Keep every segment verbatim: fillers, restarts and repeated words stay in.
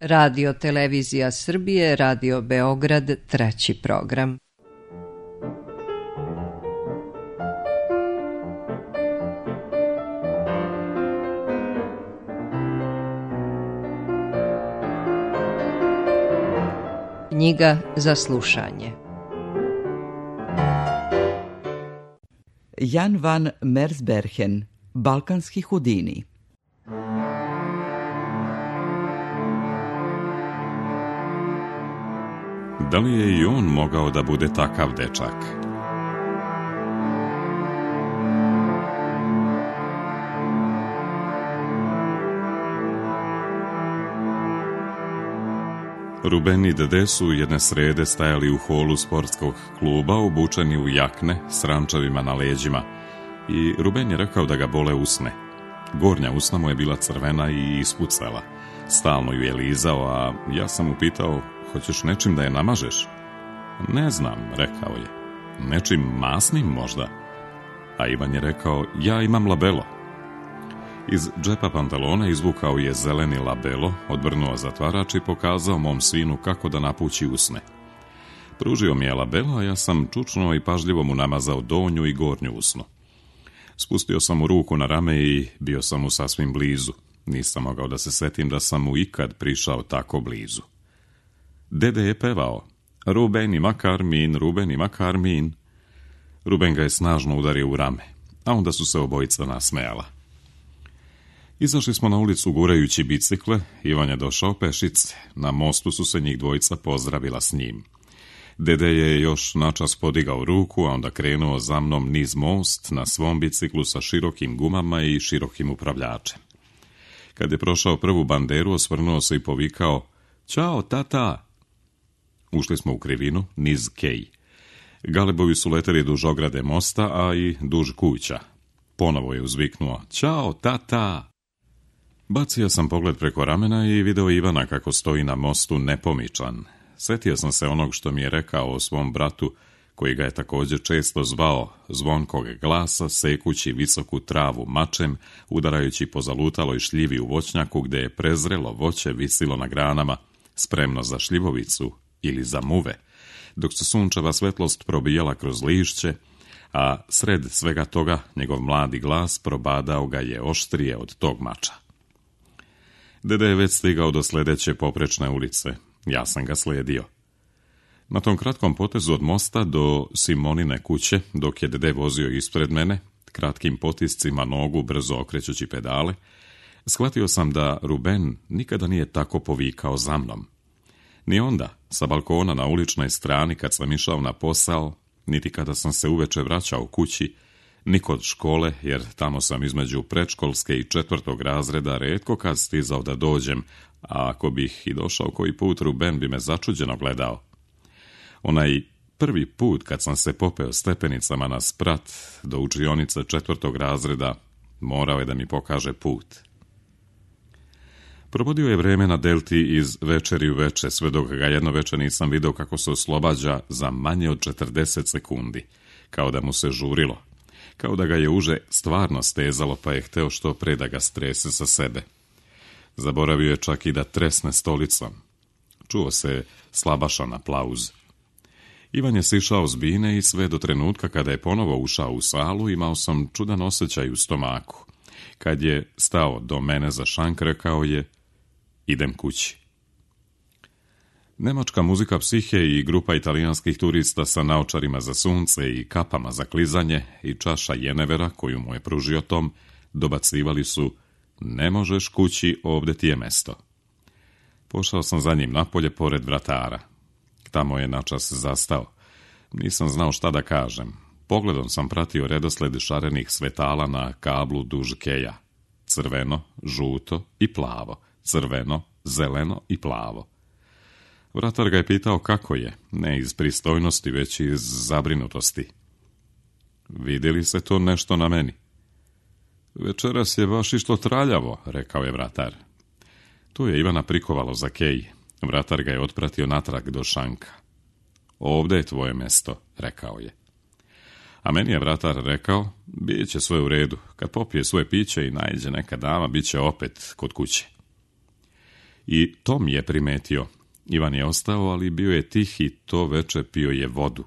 Radio Televizija Srbije, Radio Beograd, treći program. Knjiga za slušanje. Jan van Mersbergen, Balkanski Houdini. Da li je i on mogao da bude takav dečak? Ruben i Dede su jedne srede stajali u holu sportskog kluba obučeni u jakne s rančevima na leđima i Ruben je rekao da ga bole usne. Gornja usna mu je bila crvena i ispucala. Stalno ju je lizao, a ja sam mu pitao, hoćeš nečim da je namažeš? Ne znam, rekao je. Nečim masnim možda? A Ivan je rekao, ja imam labelo. Iz džepa pantalona izvukao je zeleni labelo, odvrnuo zatvarač i pokazao mom sinu kako da napući usne. Pružio mi je labelo, a ja sam čučnuo i pažljivo mu namazao donju i gornju usnu. Spustio sam mu ruku na rame i bio sam mu sasvim blizu. Nisam mogao da se setim da sam mu ikad prišao tako blizu. Dede je pevao, Ruben ima karmin, Ruben ima karmin. Ruben ga je snažno udario u rame, a onda su se obojica nasmejala. Izašli smo na ulicu gurajući bicikle, Ivan je došao pešice, na mostu su se njih dvojica pozdravila s njim. Dede je još načas podigao ruku, a onda krenuo za mnom niz most na svom biciklu sa širokim gumama i širokim upravljačem. Kad je prošao prvu banderu, osvrnuo se i povikao, Ćao, tata! Ušli smo u krivinu, niz kej. Galebovi su leteli duž ograde mosta, a i duž kuća. Ponovo je uzviknuo, Ćao, tata! Bacio sam pogled preko ramena i video Ivana kako stoji na mostu nepomičan. Setio sam se onog što mi je rekao o svom bratu, koji ga je također često zvao, zvonkog glasa, sekući visoku travu mačem, udarajući po zalutaloj šljivi u voćnjaku gde je prezrelo voće visilo na granama, spremno za šljivovicu ili za muve, dok se sunčeva svetlost probijala kroz lišće, a sred svega toga njegov mladi glas probadao ga je oštrije od tog mača. Dede je već stigao do sledeće poprečne ulice. Ja sam ga slijedio. Na tom kratkom potezu od mosta do Simonine kuće, dok je Dede vozio ispred mene, kratkim potiscima nogu brzo okrećući pedale, shvatio sam da Ruben nikada nije tako povikao za mnom. Ni onda, sa balkona na uličnoj strani kad sam išao na posao, niti kada sam se uveče vraćao kući, ni kod škole, jer tamo sam između predškolske i četvrtog razreda retko kad stizao da dođem, a ako bih i došao koji put, Ruben bi me začuđeno gledao. Onaj prvi put kad sam se popeo stepenicama na sprat do učionice četvrtog razreda, morao je da mi pokaže put. Provodio je vreme na delti iz večeri u veče, sve dok ga jedno veče nisam video kako se oslobađa za manje od četrdeset sekundi, kao da mu se žurilo, kao da ga je uže stvarno stezalo pa je hteo što pre da ga strese sa sebe. Zaboravio je čak i da tresne stolicom. Čuo se slabašan aplauz. Ivan je sišao s bine i sve do trenutka kada je ponovo ušao u salu imao sam čudan osjećaj u stomaku. Kad je stao do mene za šank, rekao je, idem kući. Nemačka muzika psihe i grupa italijanskih turista sa naočarima za sunce i kapama za klizanje i čaša jenevera koju mu je pružio Tom, dobacivali su, ne možeš kući, ovde ti je mesto. Pošao sam za njim napolje pored vratara. Tamo je načas zastao. Nisam znao šta da kažem. Pogledom sam pratio redosled šarenih svetala na kablu duž keja. Crveno, žuto i plavo. Crveno, zeleno i plavo. Vratar ga je pitao kako je, ne iz pristojnosti, već iz zabrinutosti. Vidi li se to nešto na meni? Večeras je baš išto traljavo, rekao je vratar. Tu je Ivana prikovalo za kej. Vratar ga je otpratio natrag do šanka. Ovde je tvoje mesto, rekao je. A meni je vratar rekao, bit će sve u redu, kad popije svoje piće i naiđe neka dama, bit će opet kod kuće. I Tom je primetio. Ivan je ostao, ali bio je tih i to veče pio je vodu.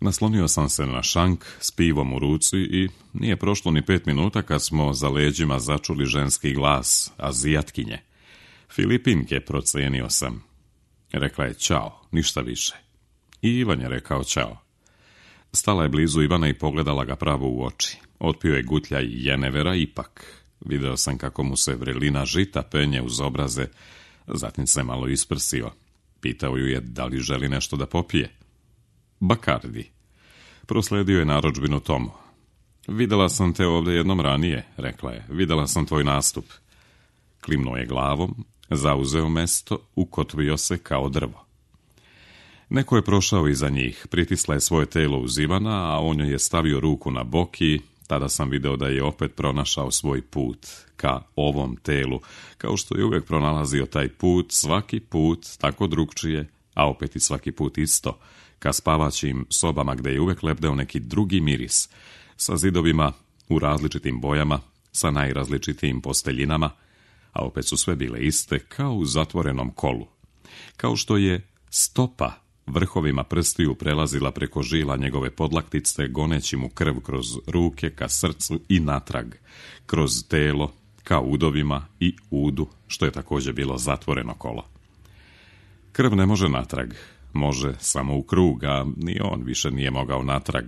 Naslonio sam se na šank s pivom u ruci i nije prošlo ni pet minuta kad smo za leđima začuli ženski glas, Azijatkinje. Filipinke, procenio sam. Rekla je čao, ništa više. I Ivan je rekao čao. Stala je blizu Ivana i pogledala ga pravo u oči. Otpio je gutljaj jenevera ipak. Video sam kako mu se vrelina žita penje uz obraze, zatim se malo isprsio. Pitao ju je da li želi nešto da popije. Bakardi. Prosledio je narudžbinu Tomu. Videla sam te ovdje jednom ranije, rekla je. Videla sam tvoj nastup. Klimnuo je glavom, zauzeo mesto, ukotvio se kao drvo. Neko je prošao iza njih, pritisla je svoje telo uz Ivana, a on joj je stavio ruku na bok i tada sam video da je opet pronašao svoj put ka ovom telu, kao što je uvijek pronalazio taj put, svaki put tako drugčije, a opet i svaki put isto, ka spavaćim sobama gdje je uvijek lebdeo neki drugi miris, sa zidovima u različitim bojama, sa najrazličitijim posteljinama, a opet su sve bile iste kao u zatvorenom kolu. Kao što je stopa vrhovima prstiju prelazila preko žila njegove podlaktice, goneći mu krv kroz ruke ka srcu i natrag, kroz telo, ka udovima i udu, što je također bilo zatvoreno kolo. Krv ne može natrag, može samo u krug, a ni on više nije mogao natrag,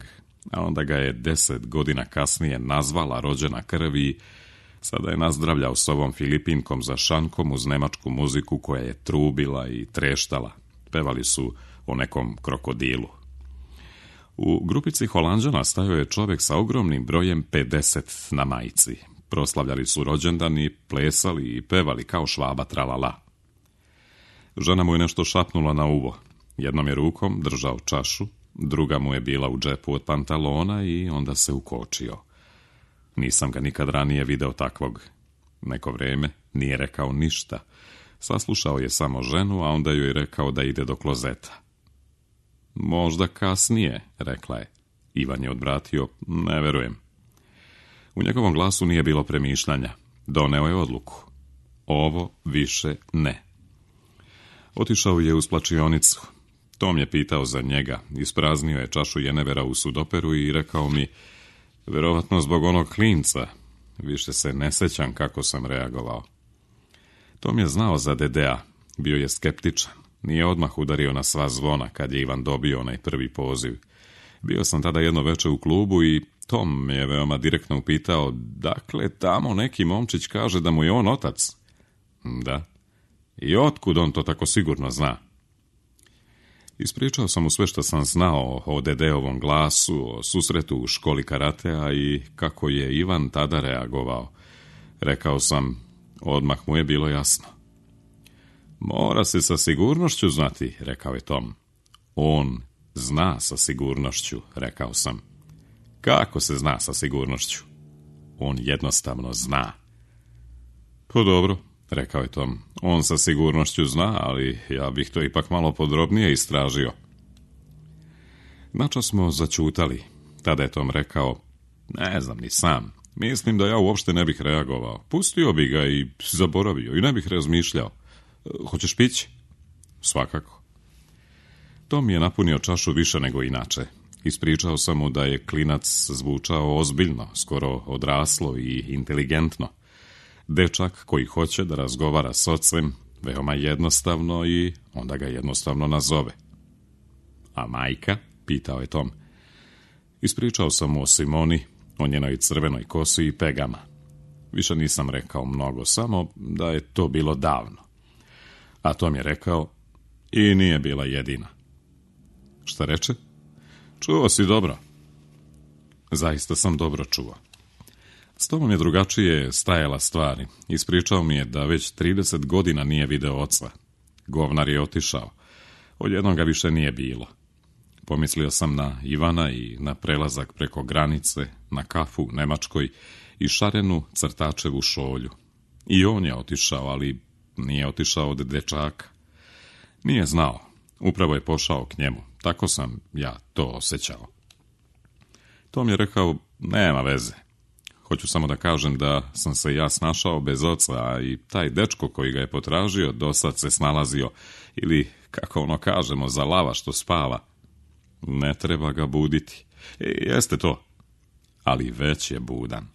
a onda ga je deset godina kasnije nazvala rođena krv i sada je nazdravljao s ovom Filipinkom za šankom uz nemačku muziku koja je trubila i treštala. Pevali su o nekom krokodilu. U grupici Holanđana stajao je čovjek sa ogromnim brojem pedeset na majici. Proslavljali su rođendan i plesali i pevali kao Švaba tralala. Žena mu je nešto šapnula na uvo. Jednom je rukom držao čašu, druga mu je bila u džepu od pantalona i onda se ukočio. Nisam ga nikad ranije video takvog. Neko vrijeme nije rekao ništa. Saslušao je samo ženu, a onda joj je rekao da ide do klozeta. Možda kasnije, rekla je. Ivan je odvratio, ne verujem. U njegovom glasu nije bilo premišljanja. Doneo je odluku. Ovo više ne. Otišao je u splačionicu. Tom je pitao za njega. Ispraznio je čašu jenevera u sudoperu i rekao mi, verovatno zbog onog klinca. Više se ne sećam kako sam reagovao. Tom je znao za Dedea. Bio je skeptičan. Nije odmah udario na sva zvona kad je Ivan dobio onaj prvi poziv. Bio sam tada jedno veče u klubu i Tom me je veoma direktno upitao, dakle, tamo neki momčić kaže da mu je on otac. Da. I otkud on to tako sigurno zna? Ispričao sam mu sve što sam znao o Dedeovom glasu, o susretu u školi karatea i kako je Ivan tada reagovao. Rekao sam, odmah mu je bilo jasno. Mora se sa sigurnošću znati, rekao je Tom. On zna sa sigurnošću, rekao sam. Kako se zna sa sigurnošću? On jednostavno zna. Pa dobro, rekao je Tom. On sa sigurnošću zna, ali ja bih to ipak malo podrobnije istražio. Načas smo začutali. Tada je Tom rekao, ne znam ni sam. Mislim da ja uopšte ne bih reagovao. Pustio bi ga i zaboravio i ne bih razmišljao. Hoćeš pići? Svakako. Tom je napunio čašu više nego inače. Ispričao sam mu da je klinac zvučao ozbiljno, skoro odraslo i inteligentno. Dečak koji hoće da razgovara s ocem veoma jednostavno i onda ga jednostavno nazove. A majka? Pitao je Tom. Ispričao sam mu o Simoni, o njenoj crvenoj kosi i pegama. Više nisam rekao mnogo, samo da je to bilo davno. A Tom je rekao, i nije bila jedina. Šta reče? Čuo si dobro. Zaista sam dobro čuo. S Tomom je drugačije stajala stvari. Ispričao mi je da već trideset godina nije video oca. Govnar je otišao. Odjednom ga više nije bilo. Pomislio sam na Ivana i na prelazak preko granice, na kafu u Nemačkoj i šarenu crtačevu šolju. I on je otišao, ali nije otišao od dečaka. Nije znao. Upravo je pošao k njemu. Tako sam ja to osjećao. Tom je rekao, nema veze. Hoću samo da kažem da sam se ja snašao bez oca, a i taj dečko koji ga je potražio dosad se snalazio, ili, kako ono kažemo, za lava što spava. Ne treba ga buditi. E, jeste to, ali već je budan.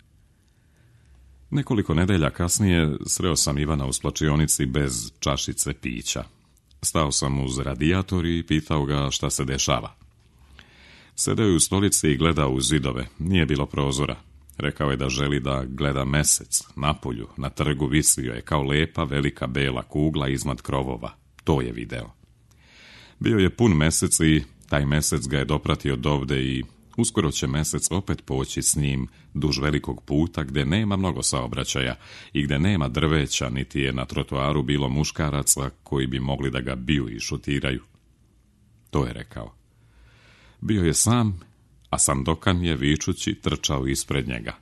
Nekoliko nedelja kasnije sreo sam Ivana u splačionici bez čašice pića. Stao sam uz radijator i pitao ga šta se dešava. Sedeo je u stolici i gledao u zidove, nije bilo prozora. Rekao je da želi da gleda mesec, napolju, na trgu visio je kao lepa velika bela kugla iznad krovova. To je video. Bio je pun mesec i taj mesec ga je dopratio dovde i uskoro će mesec opet poći s njim duž velikog puta gde nema mnogo saobraćaja i gde nema drveća, niti je na trotoaru bilo muškaraca koji bi mogli da ga biju i šutiraju. To je rekao. Bio je sam, a Sandokan je vičući trčao ispred njega.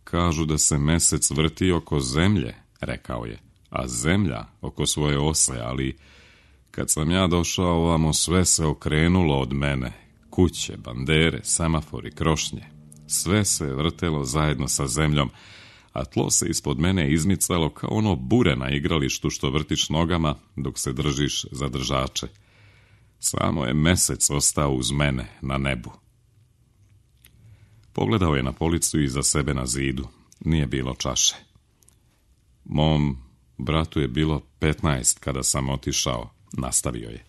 Kažu da se mesec vrti oko zemlje, rekao je, a zemlja oko svoje ose, ali kad sam ja došao ovamo sve se okrenulo od mene. Kuće, bandere, semafori, krošnje. Sve se vrtelo zajedno sa zemljom, a tlo se ispod mene izmicalo kao ono bure na igralištu što vrtiš nogama dok se držiš za držače. Samo je mesec ostao uz mene na nebu. Pogledao je na policu iza sebe na zidu. Nije bilo čaše. Mom bratu je bilo petnaest kada sam otišao, nastavio je.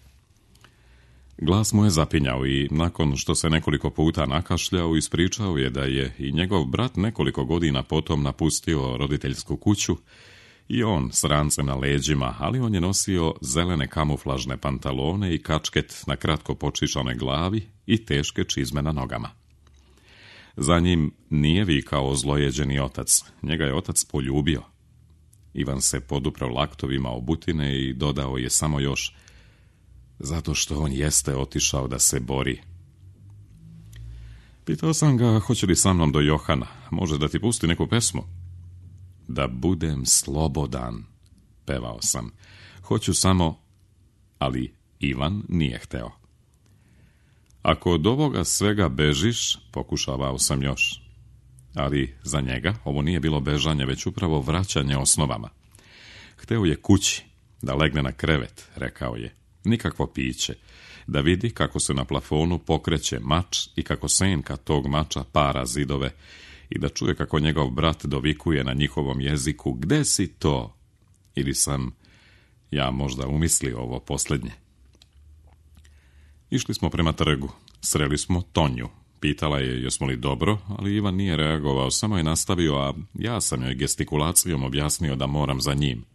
Glas mu je zapinjao i nakon što se nekoliko puta nakašljao, ispričao je da je i njegov brat nekoliko godina potom napustio roditeljsku kuću i on s rancem na leđima, ali on je nosio zelene kamuflažne pantalone i kačket na kratko počičanoj glavi i teške čizme na nogama. Za njim nije vikao ozlojeđeni otac, njega je otac poljubio. Ivan se poduprao laktovima obutine i dodao je samo još: zato što on jeste otišao da se bori. Pitao sam ga hoće li sa mnom do Johana, može da ti pusti neku pesmu. Da budem slobodan, pevao sam. Hoću samo, ali Ivan nije hteo. Ako od ovoga svega bežiš, pokušavao sam još. Ali za njega ovo nije bilo bežanje, već upravo vraćanje osnovama. Hteo je kući, da legne na krevet, rekao je. Nikakvo piće, da vidi kako se na plafonu pokreće mač i kako senka tog mača para zidove i da čuje kako njegov brat dovikuje na njihovom jeziku: gde si to? Ili sam ja možda umislio ovo posljednje. Išli smo prema trgu, sreli smo Tonju. Pitala je jesmo li dobro, ali Ivan nije reagovao, samo je nastavio, a ja sam joj gestikulacijom objasnio da moram za njim.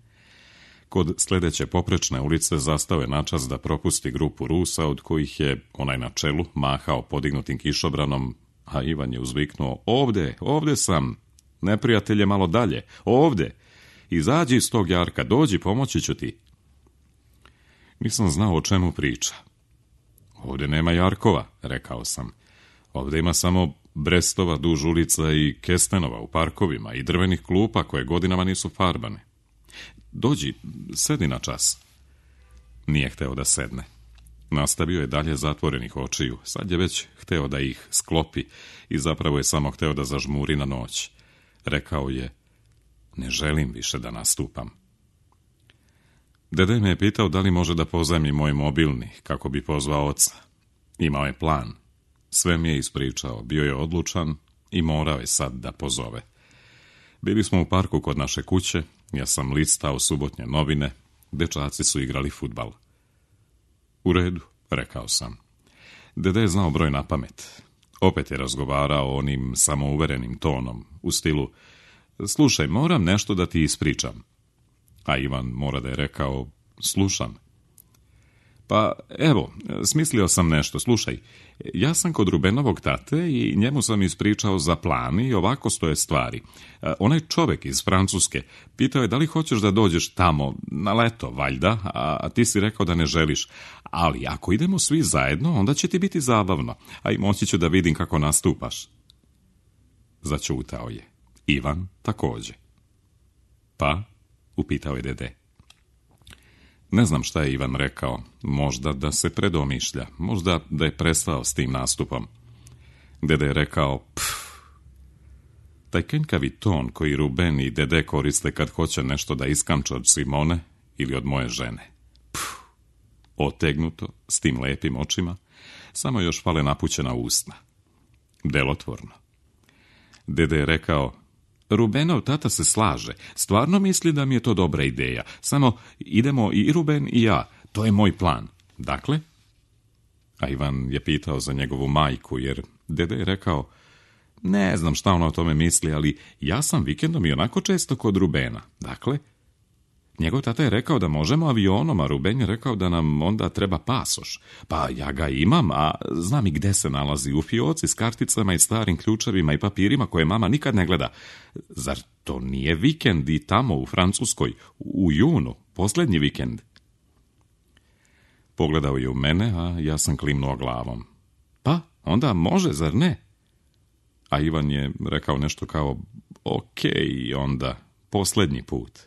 Kod sljedeće poprečne ulice zastao je načas da propusti grupu Rusa, od kojih je onaj na čelu mahao podignutim kišobranom, a Ivan je uzviknuo: ovde, ovde sam, neprijatelj je malo dalje, ovde, izađi iz tog jarka, dođi, pomoći ću ti. Nisam znao o čemu priča. Ovde nema jarkova, rekao sam. Ovde ima samo brestova duž ulica i kestenova u parkovima i drvenih klupa koje godinama nisu farbane. Dođi, sedi na čas. Nije hteo da sedne. Nastavio je dalje zatvorenih očiju. Sad je već hteo da ih sklopi i zapravo je samo hteo da zažmuri na noć. Rekao je: ne želim više da nastupam. Dede me je pitao da li može da pozajmi moj mobilni, kako bi pozvao oca. Imao je plan. Sve mi je ispričao, bio je odlučan i morao je sad da pozove. Bili smo u parku kod naše kuće, ja sam listao subotnje novine, dečaci su igrali fudbal. U redu, rekao sam. Dede je znao broj na pamet. Opet je razgovarao onim samouverenim tonom, u stilu: slušaj, moram nešto da ti ispričam. A Ivan mora da je rekao: slušam. Pa, evo, smislio sam nešto, slušaj. Ja sam kod Rubenovog tate i njemu sam ispričao za plan i ovako stoje stvari. Onaj čovek iz Francuske pitao je da li hoćeš da dođeš tamo, na leto, valjda, a ti si rekao da ne želiš. Ali ako idemo svi zajedno, onda će ti biti zabavno, a i moći ću da vidim kako nastupaš. Začutao je. Ivan takođe. Pa, upitao je dede. Ne znam šta je Ivan rekao, možda da se predomišlja, možda da je prestao s tim nastupom. Dede je rekao: pff, Taj kenjkavi ton koji Ruben i Dede koriste kad hoće nešto da iskamče od Simone ili od moje žene. Puh, otegnuto, s tim lepim očima, samo još fale napućena usna. Delotvorno. Dede je rekao, Rubenov tata se slaže, stvarno misli da mi je to dobra ideja, samo idemo i Ruben i ja, to je moj plan. Dakle? A Ivan je pitao za njegovu majku, jer Dede je rekao, ne znam šta ona o tome misli, ali ja sam vikendom i onako često kod Rubena. Dakle, njegov tata je rekao da možemo avionom, a Ruben je rekao da nam onda treba pasoš. Pa ja ga imam, a znam i gde se nalazi, u fioci s karticama i starim ključevima i papirima koje mama nikad ne gleda. Zar to nije vikend i tamo u Francuskoj, u junu, posljednji vikend? Pogledao je u mene, a ja sam klimnuo glavom. Pa, onda može, zar ne? A Ivan je rekao nešto kao, okej, onda, posljednji put.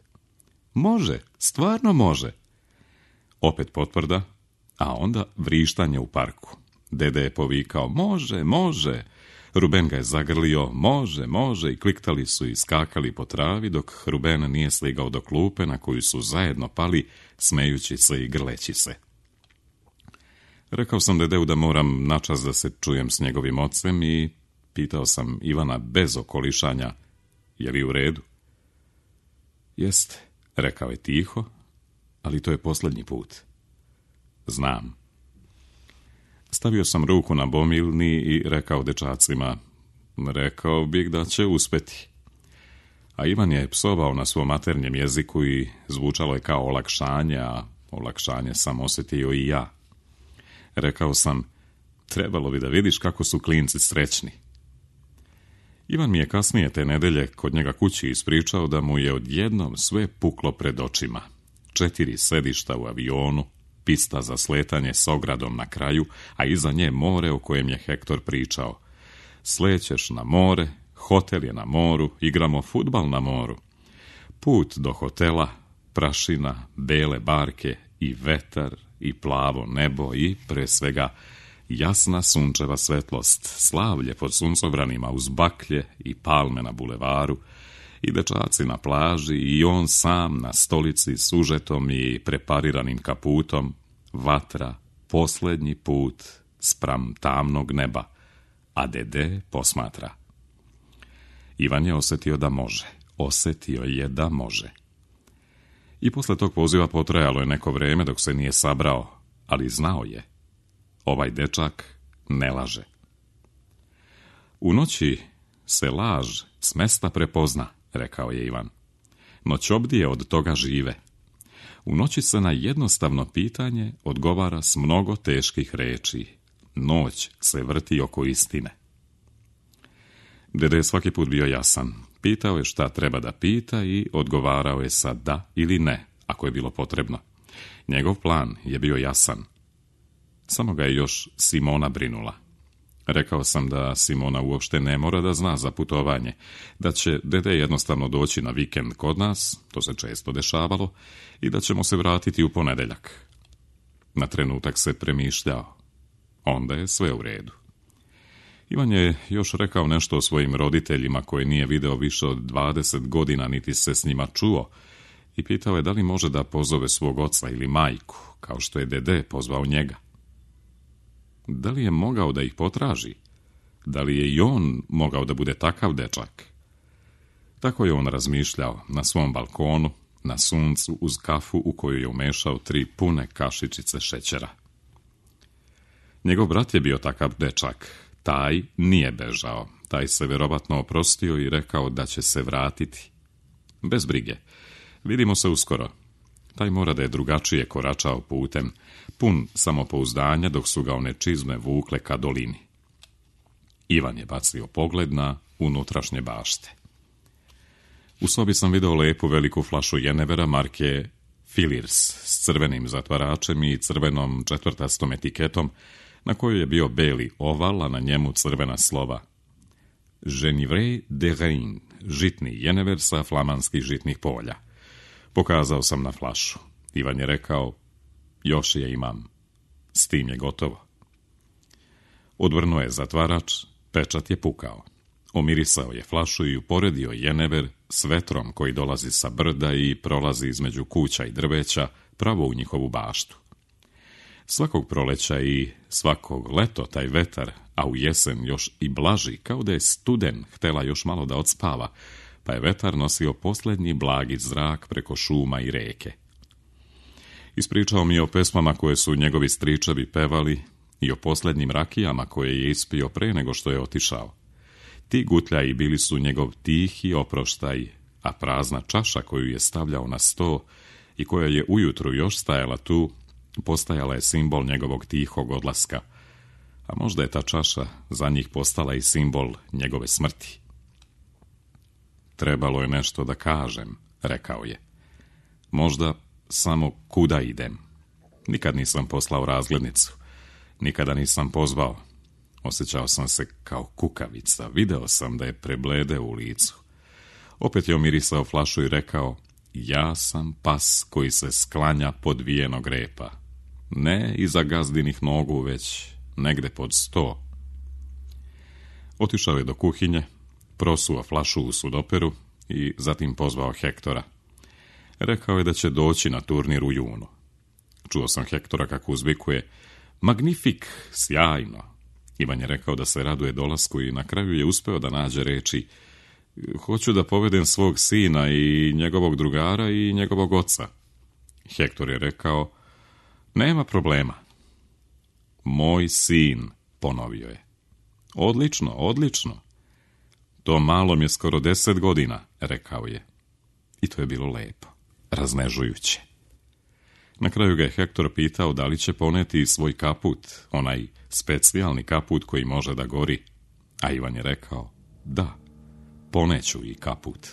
Može, stvarno može. Opet potvrda, a onda vrištanje u parku. Dede je povikao, može, može. Ruben ga je zagrlio, može, može, i kliktali su i skakali po travi, dok Ruben nije sligao do klupe na koju su zajedno pali, smejući se i grleći se. Rekao sam Dedeu da moram načas da se čujem s njegovim ocem i pitao sam Ivana bez okolišanja, je li u redu? Jeste, rekao je tiho, ali to je posljednji put. Znam. Stavio sam ruku na bomilni i rekao dečacima, rekao bih da će uspeti. A Ivan je psovao na svom maternjem jeziku i zvučalo je kao olakšanje, a olakšanje sam osjetio i ja. Rekao sam, trebalo bi da vidiš kako su klinci srećni. Ivan mi je kasnije te nedelje kod njega kući ispričao da mu je odjednom sve puklo pred očima. Četiri sedišta u avionu, pista za sletanje s ogradom na kraju, a iza nje more o kojem je Hektor pričao. Slećeš na more, hotel je na moru, igramo fudbal na moru. Put do hotela, prašina, bele barke i vetar i plavo nebo i, pre svega, jasna sunčeva svetlost, slavlje pod suncobranima uz baklje i palme na bulevaru, i dečaci na plaži i on sam na stolici s užetom i prepariranim kaputom, vatra, posljednji put spram tamnog neba, a Dede posmatra. Ivan je osjetio da može, osjetio je da može. I posle tog poziva potrajalo je neko vreme dok se nije sabrao, ali znao je. Ovaj dečak ne laže. U noći se laž s mesta prepozna, rekao je Ivan. Noćobdije od toga žive. U noći se na jednostavno pitanje odgovara s mnogo teških reči. Noć se vrti oko istine. Dede je svaki put bio jasan. Pitao je šta treba da pita i odgovarao je sa da ili ne, ako je bilo potrebno. Njegov plan je bio jasan. Samo ga je još Simona brinula. Rekao sam da Simona uopšte ne mora da zna za putovanje, da će Dede jednostavno doći na vikend kod nas, to se često dešavalo, i da ćemo se vratiti u ponedeljak. Na trenutak se premišljao. Onda je sve u redu. Ivan je još rekao nešto o svojim roditeljima koje nije video više od dvadeset godina, niti se s njima čuo, i pitao je da li može da pozove svog oca ili majku, kao što je Dede pozvao njega. Da li je mogao da ih potraži? Da li je i on mogao da bude takav dečak? Tako je on razmišljao na svom balkonu, na suncu, uz kafu u koju je umešao tri pune kašičice šećera. Njegov brat je bio takav dečak. Taj nije bežao. Taj se vjerovatno oprostio i rekao da će se vratiti. Bez brige. Vidimo se uskoro. Taj mora da je drugačije koračao putem, pun samopouzdanja dok su ga one čizme vukle ka dolini. Ivan je bacio pogled na unutrašnje bašte. U sobi sam video lepu veliku flašu jenevera marke Filirs s crvenim zatvaračem i crvenom četvrtastom etiketom, na kojoj je bio beli oval, a na njemu crvena slova. Genivre de Rein, žitni jenever sa flamanskih žitnih polja. Pokazao sam na flašu. Ivan je rekao, još je imam. S tim je gotovo. Odvrnuo je zatvarač, pečat je pukao. Omirisao je flašu i uporedio jenever s vetrom koji dolazi sa brda i prolazi između kuća i drveća pravo u njihovu baštu. Svakog proleća i svakog leto taj vetar, a u jesen još i blaži, kao da je studen htela još malo da odspava, pa je vetar nosio posljednji blagi zrak preko šuma i reke. Ispričao mi je o pesmama koje su njegovi stričevi pevali i o posljednjim rakijama koje je ispio pre nego što je otišao. Ti gutljaji bili su njegov tihi oproštaj, a prazna čaša koju je stavljao na sto i koja je ujutru još stajala tu, postajala je simbol njegovog tihog odlaska, a možda je ta čaša za njih postala i simbol njegove smrti. Trebalo je nešto da kažem, rekao je. Možda samo kuda idem. Nikad nisam poslao razglednicu, nikada nisam pozvao. Osjećao sam se kao kukavica, video sam da je preblede u licu. Opet je omirisao flašu i rekao, ja sam pas koji se sklanja pod vijenog repa. Ne iza gazdinih nogu, već negde pod sto. Otišao je do kuhinje, prosuo flašu u sudoperu i zatim pozvao Hektora. Rekao je da će doći na turnir u junu. Čuo sam Hektora kako uzvikuje, magnifik, sjajno. Ivan je rekao da se raduje dolasku i na kraju je uspeo da nađe reči, hoću da povedem svog sina i njegovog drugara i njegovog oca. Hektor je rekao, nema problema. Moj sin, ponovio je. Odlično, odlično. To malom je skoro deset godina, rekao je. I to je bilo lepo, raznežujuće. Na kraju ga je Hektor pitao da li će poneti svoj kaput, onaj specijalni kaput koji može da gori. A Ivan je rekao, da, poneću i kaput.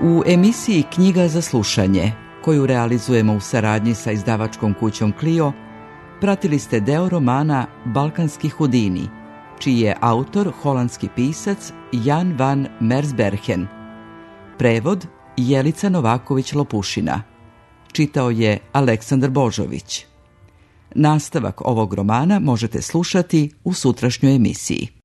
U emisiji Knjiga za slušanje, koju realizujemo u saradnji sa izdavačkom kućom Clio, pratili ste deo romana Balkanski hudini, čiji je autor holandski pisac Jan van Mersbergen. Prevod Jelica Novaković-Lopušina. Čitao je Aleksandar Božović. Nastavak ovog romana možete slušati u sutrašnjoj emisiji.